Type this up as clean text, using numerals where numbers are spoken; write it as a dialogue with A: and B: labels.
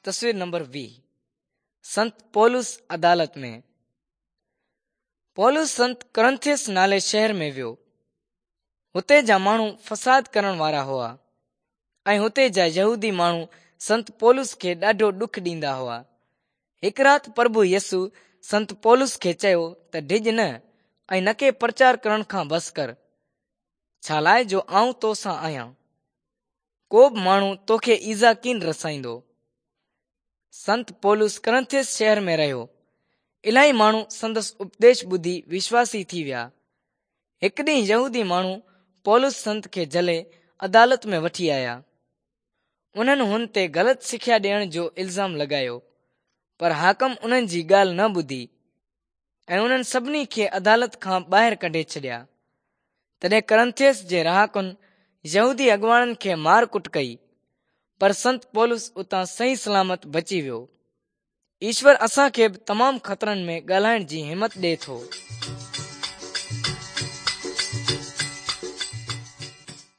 A: تصوير نمبر 20 سنت پولس عدالت ۾. پولس سنت ڪرنٿيس نالي شهر ۾ ويو. هتي جا ماڻهو فساد ڪرڻ وارا هئا ۽ هتي جا يهودي ماڻهو سنت پولس کي ڏاڍو ڏک ڏيندا هئا. هڪ رات پرڀو يسوع سنت پولس کي چيو ته ڊڄ نه ۽ نڪي پرچار ڪرڻ کان بس ڪر، ڇالاء جو آئون تو سان آهيان. ڪو به ماڻهو توکي ايذاء ڪين رسائيندو. سنت پولس ڪرنٿيس شهر ۾ رهيو. الاهي ماڻهو سندس اپديش ٻڌي وشواسي ٿي ويا. هڪ ڏينهن يهودي ماڻهو پولس سنت کي جهلي عدالت ۾ وٺي آيا. انهن هن تي غلط سکيا ڏيڻ جو الزام لڳايو، پر حاڪم انهن جي ڳالهه نه ٻڌي ۽ انهن سڀني کي عدالت کان ٻاهر ڪڍي ڇڏيا. تڏهن ڪرنٿيس جي رهاڪن يهودي اڳواڻن کي مار ڪٽ ڪئي، پر سنت پولس اتان صحيح سلامت بچي ويو. ايشور اسان کي به تمام خطرن ۾ ڳالهائڻ جي همت ڏئي ٿو.